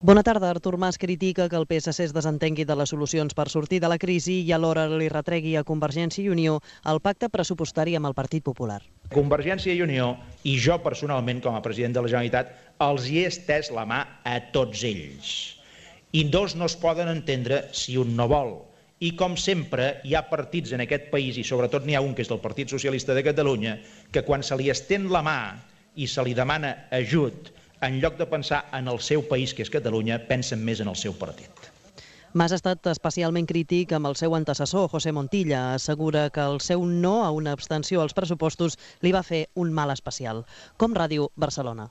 Bona tarda. Artur Mas critica que el PSC es desentengui de les solucions per sortir de la crisi i alhora li retregui a Convergència i Unió el pacte pressupostari amb el Partit Popular. Convergència i Unió i jo personalment, com a president de la Generalitat, els hi he estès la mà a tots ells. I dos no es poden entendre si un no vol. I com sempre hi ha partits en aquest país, i sobretot n'hi ha un que és del Partit Socialista de Catalunya, que quan se li estén la mà i se li demana ajut, en lloc de pensar en el seu país, que és Catalunya, pensen més en el seu partit. Mas ha estat especialment crític amb el seu antecessor, José Montilla. Assegura que el seu no a una abstenció als pressupostos li va fer un mal especial. Com Ràdio Barcelona.